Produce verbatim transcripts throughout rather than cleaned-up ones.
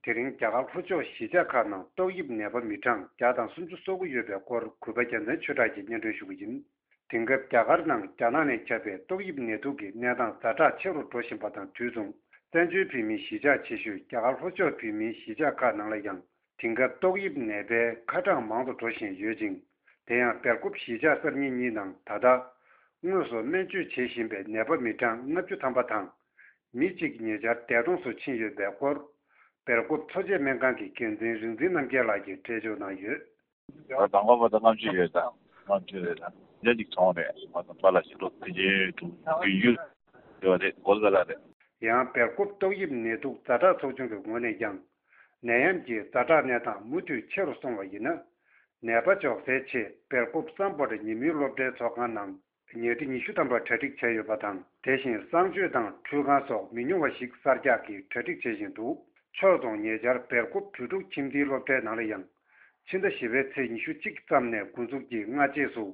དེ་རིང་རྒྱ་གར་ལྷོ་ཕྱོགས་གཞིས་ཆགས་ཁག་ནང་ཏོག་དབྱིབས་ནད་པ་མི་གྲངས་བརྒྱ་དང་སུམ་ཅུ་སོ་དགུ་ཡོད་པའི་སྐོར་གུས་པ་རྒྱལ་མཚན་ཆོས་གྲགས་ཀྱིས་སྙན་སྒྲོན་ཞུ་གི་ཡིན། དེང་སྐབས་རྒྱ་གར་ནང་རྒྱ་ནག་ནས་ཁྱབ་པའི་ཏོག་དབྱིབས་ནད་དུག་གི་གནས་སྟངས་ཛ་དྲག་ཆེ་རུ་འགྲོ་བཞིན་པ་དང་དུས་མཚུངས། བཙན་བྱོལ་བོད་མིའི་གཞིས་ཆགས་ཆེ་ཤོས་རྒྱ་གར་ལྷོ་ཕྱོགས་བོད་མིའི་གཞིས་ཆགས་ཁག་ནང་ལ་ཡང་དེང་སྐབས་ཏོག་དབྱིབས་ནད་པའི་ཁ་གྲངས་མང་དུ་འགྲོ་བཞིན་ཡོད་ཅིང་། དེ་ཡང་སྦེལ་ཀོབ་གཞིས་ཆགས་གསར་རྙིང་གཉིས་ནང་ད་ལྟ་དངོས་སུ་སྨན་བཅོས་བྱེད་བཞིན་པའི་ནད་པ་མི་གྲངས་ལྔ་བཅུ་ཐམ་པ་དང་། མི་གཅིག་ཉེ་ཆར་འདས་གྲོངས་སུ་ཕྱིན་ཡོད་པའི་སྐོར། སྦེལ་ཀོབ་མཚོ་བྱེད་སྨན་ཁང་གི་འགན་འཛིན་རིག་འཛིན་རྣམ་རྒྱལ་ལགས་ཀྱིས་འགྲེལ་བརྗོད་གནང་ཡོད། ད་དང་པོ་བར་དུ་ལྔ་བཅུ་ཡོད་ད། ལྔ་བཅུ་རེད་ད། ཉ་གཅིག་གྲོངས་རེད། མ་དང་པ་ལ་ཞིག་ལོ་དེ་རྗེས་དྲུག་དགུ་ཡོད་རེད། གོ་ལ་ལ་རེད། ཡང་སྦེལ་ཀོབ་ཏོག་དབྱིབས་ནད་དུག་ཛ་དྲག་ཚོགས་ཆུང་གི་ངོས་ནས་ཀྱང་། ནད་ཡམས་ཀྱི་ཛ་དྲག་གནས་སྟངས་མུ་མཐུད་ཆེ་རུ་སོང་བ་ཡིན་ན། ནད་པ་འཇོག་སའི་ཆེད་སྦེལ་ཀོབ་སམ་བྷོ་ཊ་ཉིན་མོའི་སློབ་གྲྭའི་ཚོགས་ཁང་ནང་ཉལ་ཁྲི་ཉི་ཤུ་ཐམ་པ་གྲ་སྒྲིག་བྱས་ཡོད་པ་དང་། དེ་བཞིན་གསང་སྤྱོད་དང་ཁྲུས་ཁང་སོགས་མི་ཉུང་བ་ཞིག་གསར་རྒྱག་གིས་གྲ་སྒྲིག་བྱེད་བཞིན་འདུག་ཕྱོགས་མཚུངས་ཉེ་ཆར་སྦེལ་ཀོབ་བོད་ཕྲུག་ཁྱིམ་སྡེའི་སློབ་གྲྭའི་ནང་ལ་ཡང་། ཕྱི་ཟླ་བཞི་པའི་ཚེས་ཉི་ཤུ་གཅིག་ཙམ་ནས་འགོ་འཛུགས་ཀྱིས་སྔ་རྗེས་སུ།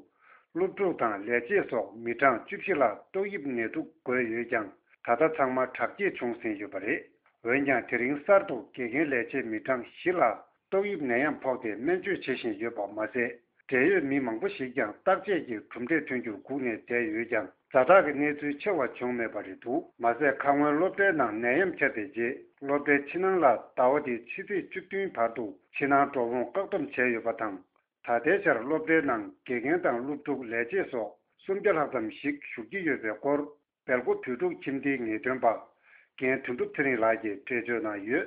སློབ་ཕྲུག་དང་ལས་བྱེད་སོགས་མི་གྲངས་བཅུ་བཞི་ལ་ཏོག་དབྱིབས་ནད་དུག་འགོས་ཡོད་ཀྱང་། ད་ལྟ་ཚང་མ་དྲག་སྐྱེད་བྱུང་ཟིན་ཡོད་པ་རེད། འོན་ཀྱང་། དེ་རིང་གསར་དུ་དགེ་རྒན་ལས་བྱེད་མི་གྲངས་བཞི་ལ་ཏོག་དབྱིབས་ནད་ཡམས་ཕོག་སྟེ་སྨན་བཅོས་བྱེད་བཞིན་ཡོད་པ་མ་ཟད། འབྲེལ་ཡོད་མི་མང་པོ་ཞིག་ཀྱང་བརྟག་དཔྱད་ཀྱི་གྲུབ་འབྲས་ཐོན་རྒྱུར་སྒུག་ནས་བསྡད་ཡོད་ཀྱང་། ཛ་དྲག་གི་གནས་ཚུལ་ཆེ་བ་བྱུང་མེད་པ་རེད་འདུག་མ་ཟད། ཁ་སྔོན་སློབ་གྲྭའི་ནང་ནད་ཡམས་ཁྱབ་པའི་རྗེས། སློབ་གྲྭའི་ཕྱི་ནང་ལ་ཟླ་བ་འདིའི་ཕྱི་ཚེས་བཅུ་བདུན་བར་དུ་ཕྱི་ནང་འགྲོ་འོང་བཀག་སྡོམ་བྱས་ཡོད་པ་དང་། ད་ལྟའི་ཆར་སློབ་གྲྭའི་ནང་དགེ་རྒན་དང་སློབ་ཕྲུག་ལས་བྱེད་སོགས་སུམ་བརྒྱ་ལྷག་ཙམ་ཞིག་བཞུགས་ཀྱི་ཡོད་པའི་སྐོར། སྦེལ་ཀོབ་བོད་ཕྲུག་ཁྱིམ་སྡེའི་ངེས་སྟོན་པ། རྒན་དོན་གྲུབ་ཚེ་རིང་ལགས་ཀྱིས་འགྲེལ་བརྗོད་གནང་ཡོད།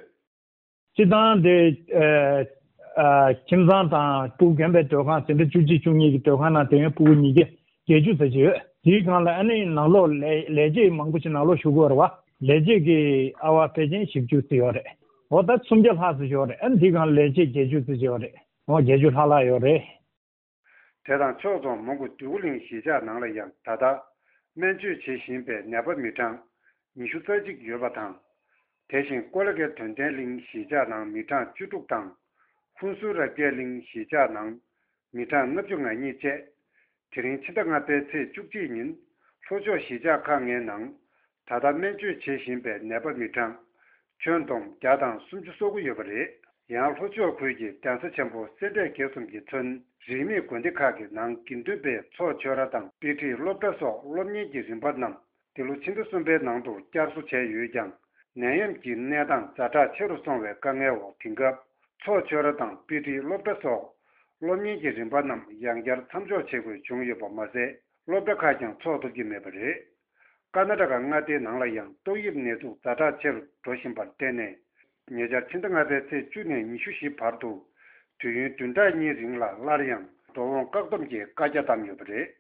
སྤྱི་བཏང་དེ། ཨ། ཨ། ཁྱིམ་ཚང་དང་ཕྲུ་གུ་རྒན་པའི་སྡོད་ཁང་དེ་འདྲ་བཅུ་གཅིག་བཅུ་གཉིས་ཀྱི་སྡོད་ཁང་ནང་དེ་ཡང་ཕྲུ་གུ་ཉིས་བརྒྱ་བརྒྱད་ཅུ་ཙམ་ཅིག་ཡོད། དེའི་སྒང་ལ་ཨ་ནི་ནང་ལོགས་ལས་ལས་བྱེད་མང་པོ་ཞིག་ནང་ལོགས་བཞུགས་ཀྱི་ཡོད་རེད་བ། ལས་བྱེད་ཀྱི་ཨ་བ་ཕལ་ཆེར་བཞི་བཅུ་ཙམ་ཡོད་རེད། འོ་ད་སུམ་བརྒྱ་ལྷག་ཙམ་ཡོད་རེད། ཨ་ནི་དེའི་སྒང་ལ་ལས་བྱེད་བརྒྱད་ཅུ་ཙམ་ཅིག་ཡོད་རེད། འོ་བརྒྱད་ཅུ་ལྷག་ལྷག་ཡོད་རེད། དེ་དང་ཕྱོགས་མཚུངས་མོན་གྷོ་འདོད་རྒུ་གླིང་གཞིས་ཆགས་ནང་ལ་ཡང་ད་ལྟ་སྨན་བཅོས་བྱེད་བཞིན་པའི་ནད་པ་མི་གྲངས་ཉི་ཤུ་རྩ་གཅིག་ཡོད་པ་དང་། དེ་བཞིན་ཀོ་ལ་གྷལ་དོན་ལྡན་གླིང་གཞིས་ཆགས་ནང་མི་གྲངས་བཅུ་དྲུག་དང་། ཧུན་སུར་རབ་རྒྱས་གླིང་གཞིས་ཆགས་ནང་མི་གྲངས་ལྔ་བཅུ་ང་གཉིས་བཅས། དེ་རིང་ཕྱི་ཟླ་ལྔ་པའི་ཚེས་བཅུ་གཅིག་ཉིན་ལྷོ་ཕྱོགས་གཞིས་ཆགས་ཁག་ལྔའི་ནང་ད་ལྟ་སྨན་བཅོས་བྱེད་བཞིན་པའི་ནད་པ་མི་གྲངས་ཁྱོན་བསྡོམས་བརྒྱ་དང་སུམ་ཅུ་སོ་དགུ་ཡོད་པ་རེད། ཡང་ལྷོ་ཕྱོགས་ཁུལ་གྱི་གདན་ས་ཆེན་པོ་སེ་འབྲས་དགེ་གསུམ་གྱིས་མཚོན་རིས་མེད་དགོན་སྡེ་ཁག་གི་ནང་དགེ་འདུན་པའི་ཚོགས་ཆོས་ར་དང་དཔེ་ཁྲིད་སློབ་གྲྭ་སོགས་སློབ་གཉེར་གྱི་རིམ་པ་རྣམས་འདི་ལོ་ཕྱི་ཟླ་གསུམ་པའི་ནང་དུ་བསྐྱར་གསོ་བྱས་ཡོད་ཀྱང་། ནད་ཡམས་ཀྱི་གནས་སྟངས་ཛ་དྲག་ཆེ་རུ་སོང་བའི་དཀའ་ངལ་འོག་དེང་སྐབས་ཚོགས་ཆོས་ར་དང་དཔེ་ཁྲིད་སློབ་གྲྭ་སོགས་སློབ་གཉེར་གྱི་རིམ་པ་རྣམས་ཡང་བསྐྱར་མཚམས་འཇོག་བྱེད་དགོས་བྱུང་ཡོད་པ་མ་ཟད། སློབ་གྲྭ་ཁག་ཀྱང་འཚོགས་ཐུབ་ཀྱི་མེད་པ་རེད། ཀར་ན་ཊ་ཀ་མངའ་སྡེའི་ནང་ལ་ཡང་ཏོག་དབྱིབས་ནད་དུག་ཛ་དྲག་ཆེ་རུ་འགྲོ་བཞིན་པར་བརྟེན་ནས། ཉེ་ཆར་ཕྱི་ཟླ་ལྔ་པའི་ཚེས་བཅུ་ནས་ཉི་ཤུ་བཞི་བར་དུ་དུས་ཡུན་བདུན་ཕྲག་གཉིས་རིང་ལ་སླར་ཡང་འགྲོ་འོང་བཀག་སྡོམ་གྱི་བཀའ་རྒྱ་བཏང་ཡོད་པ་རེད།